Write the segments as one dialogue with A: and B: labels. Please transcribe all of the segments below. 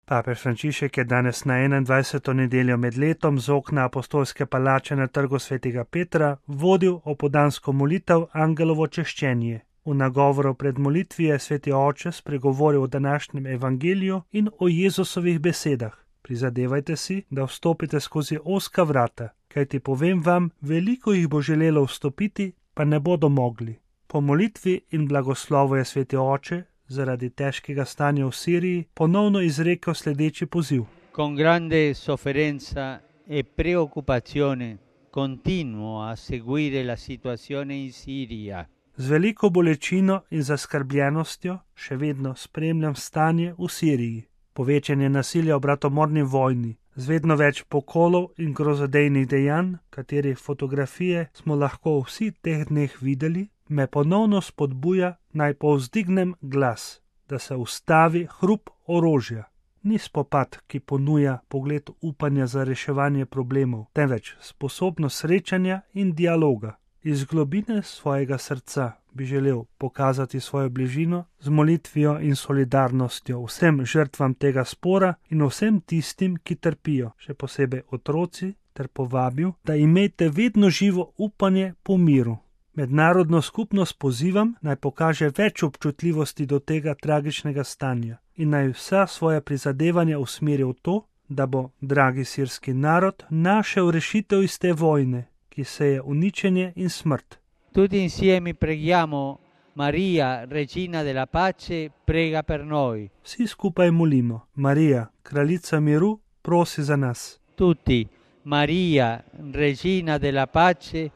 A: Papež Frančišek je danes na 21. nedeljo med letom z okna apostolske palače na trgu svetega Petra vodil opoldansko molitev Angelovo češčenje. V nagovoru pred molitvijo je sveti oče spregovoril o današnjem evangeliju in o Jezusovih besedah. Prizadevajte si, da vstopite skozi ozka vrata, kajti povem vam, veliko jih bo želelo vstopiti, pa ne bodo mogli. Po molitvi in blagoslovu je sveti oče zaradi težkega stanja v Siriji ponovno izrekel sledeči poziv.
B: Con grande sofferenza e preoccupazione continuo a seguire la situazione in Siria.
A: Z veliko bolečino in zaskrbljenostjo še vedno spremljam stanje v Siriji. Povečanje nasilja v bratomorni vojni, z vedno več pokolov in grozodejnih dejanj, katerih fotografije smo lahko vsi teh dneh videli, me ponovno spodbuja, naj povzdignem glas, da se ustavi hrup orožja. Ni spopad, ki ponuja pogled upanja za reševanje problemov, temveč sposobnost srečanja in dialoga. Iz globine svojega srca bi želel pokazati svojo bližino z molitvijo in solidarnostjo vsem žrtvam tega spora in vsem tistim, ki trpijo, še posebej otroci, ter povabil, da imejte vedno živo upanje po miru. Mednarodno skupnost pozivam, naj pokaže več občutljivosti do tega tragičnega stanja in naj vsa svoja prizadevanja usmeri v to, da bo dragi sirski narod našel rešitev iz te vojne, ki seje uničenje in smrt.
B: Tutti insieme preghiamo Maria, Regina della Pace, prega per noi.
A: Vsi skupaj molimo. Marija, kraljica miru, prosi za nas.
B: Tutti, Maria, Regina della Pace,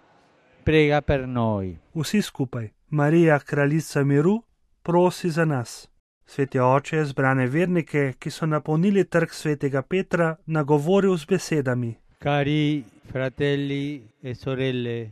B: prega per noi.
A: Vsi skupaj. Marija, kraljica miru, prosi za nas. Sveti oče je zbrane vernike, ki so napolnili trg svetega Petra, nagovoril z besedami.
B: Cari fratelli e sorelle,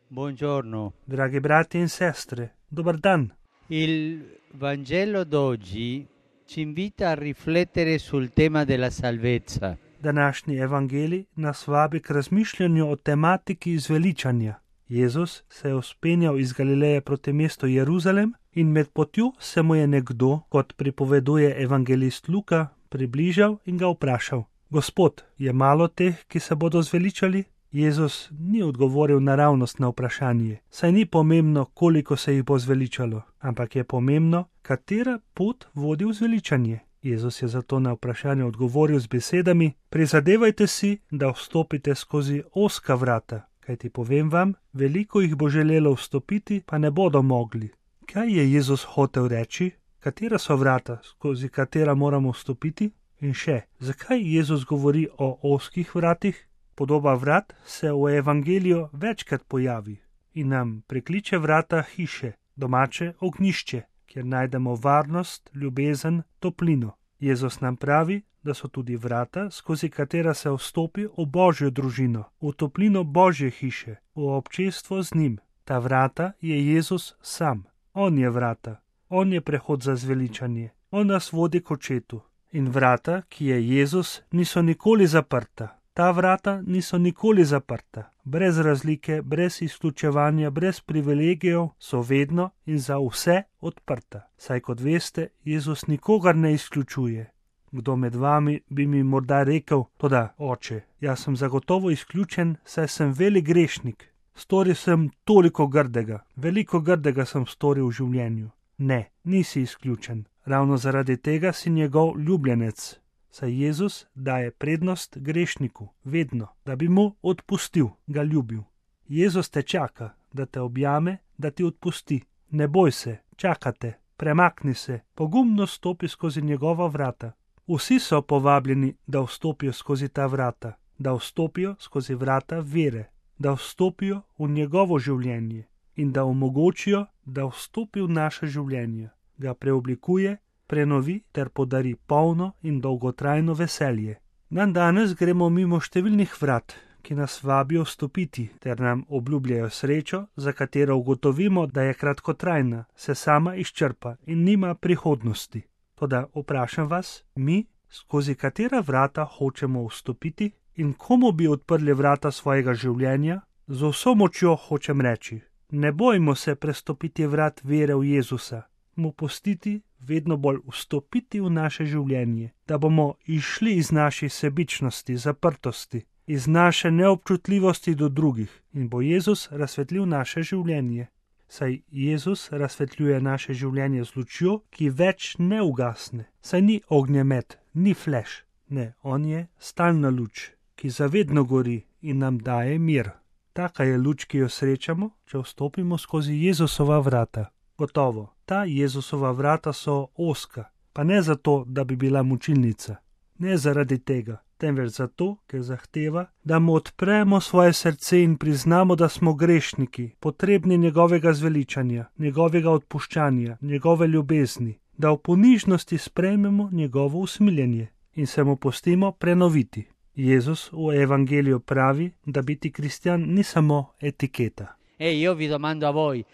B: buongiorno.
A: Dragi brati in sestre, dober dan.
B: Il Vangelo d'oggi ci invita a riflettere sul tema della salvezza.
A: Današnji evangelij nas vabi k razmišljanju o tematiki izveličanja. Jezus se je vzpenjal iz Galileje proti mestu Jeruzalem in med potjo se mu je nekdo, kot pripoveduje evangelist Luka, približal in ga vprašal: Gospod, je malo teh, ki se bodo zveličali? Jezus ni odgovoril naravnost na vprašanje, saj ni pomembno, koliko se jih bo zveličalo, ampak je pomembno, katera pot vodi v zveličanje. Jezus je zato na vprašanje odgovoril z besedami: Prizadevajte si, da vstopite skozi ozka vrata, kajti povem vam, veliko jih bo želelo vstopiti, pa ne bodo mogli. Kaj je Jezus hotel reči? Katera so vrata, skozi katera moramo vstopiti? In še, zakaj Jezus govori o ozkih vratih? Podoba vrat se v evangeliju večkrat pojavi in nam prekliče vrata hiše, domače ognjišče, kjer najdemo varnost, ljubezen, toplino. Jezus nam pravi, da so tudi vrata, skozi katera se vstopi v Božjo družino, v toplino Božje hiše, v občestvo z njim. Ta vrata je Jezus sam. On je vrata, on je prehod za zveličanje, on nas vodi k očetu. In vrata, ki je Jezus, niso nikoli zaprta. Ta vrata niso nikoli zaprta. Brez razlike, brez izključevanja, brez privilegijev so vedno in za vse odprta. Saj kot veste, Jezus nikogar ne izključuje. Kdo med vami bi mi morda rekel: Toda, oče, jaz sem zagotovo izključen, saj sem velik grešnik. Storil sem toliko grdega, veliko grdega sem storil v življenju. Ne, nisi izključen. Ravno zaradi tega si njegov ljubljenec. Saj Jezus daje prednost grešniku, vedno, da bi mu odpustil, ga ljubil. Jezus te čaka, da te objame, da ti odpusti. Ne boj se, čakate, premakni se, pogumno stopi skozi njegova vrata. Vsi so povabljeni, da vstopijo skozi ta vrata, da vstopijo skozi vrata vere, da vstopijo v njegovo življenje in da omogočijo, da vstopi v naše življenje, ga preoblikuje, prenovi ter podari polno in dolgotrajno veselje. Danes gremo mimo številnih vrat, ki nas vabijo vstopiti ter nam obljubljajo srečo, za katero ugotovimo, da je kratkotrajna, se sama izčrpa in nima prihodnosti. Toda vprašam vas, mi, skozi katera vrata hočemo vstopiti in komu bi odprli vrata svojega življenja? Z vso močjo hočem reči: ne bojmo se prestopiti vrat vere v Jezusa. mu pustiti vedno bolj vstopiti v naše življenje, da bomo išli iz naših sebičnosti, zaprtosti, iz naše neobčutljivosti do drugih in bo Jezus razsvetlil naše življenje. Saj Jezus razsvetljuje naše življenje z lučjo, ki več ne ugasne. Saj ni ognjemet, ni fleš. Ne, on je stalna luč, ki zavedno gori in nam daje mir. Taka je luč, ki jo srečamo, če vstopimo skozi Jezusova vrata. Gotovo, ta Jezusova vrata so ozka, pa ne zato, da bi bila mučilnica. Ne zaradi tega, temveč zato, ker zahteva, da mu odpremo svoje srce in priznamo, da smo grešniki, potrebni njegovega zveličanja, njegovega odpuščanja, njegove ljubezni, da v ponižnosti sprejmemo njegovo usmiljenje in se mu pustimo prenoviti. Jezus v evangeliju pravi, da biti kristjan ni samo etiketa.
B: Io vi domando a voi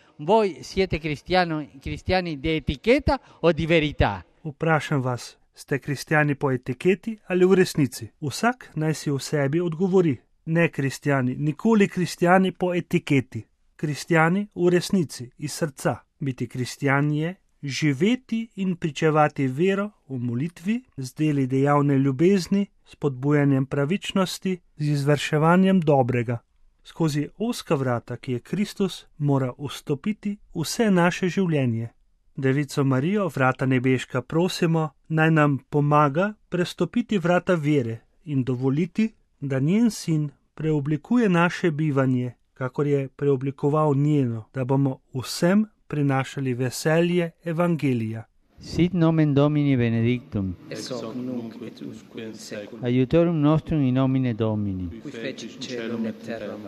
B: siete cristiani di etichetta o di verità?
A: Vprašam vas, ste kristjani po etiketi ali v resnici? Vsak naj si v sebi odgovori. Ne kristjani, nikoli kristjani po etiketi. Kristjani v resnici, iz srca. Biti kristjan je živeti in pričevati vero v molitvi, z deli dejavne ljubezni, s podbujanjem pravičnosti, z izvrševanjem dobrega. Skozi ozka vrata, ki je Kristus, mora vstopiti vse naše življenje. Devico Marijo, vrata nebeška, prosimo, naj nam pomaga prestopiti vrata vere in dovoliti, da njen sin preoblikuje naše bivanje, kakor je preoblikoval njeno, da bomo vsem prinašali veselje evangelija.
B: Sit nomen Domini benedictum,
C: ex hoc nunc et usque in saeculum,
B: aiutorium nostrum in nomine Domini.
C: qui fecit caelum et terram.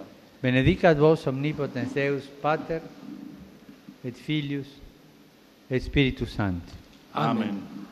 B: Benedicat vos omnipotens Deus, Pater, et Filius, et Spiritus Sanctus.
C: Amen.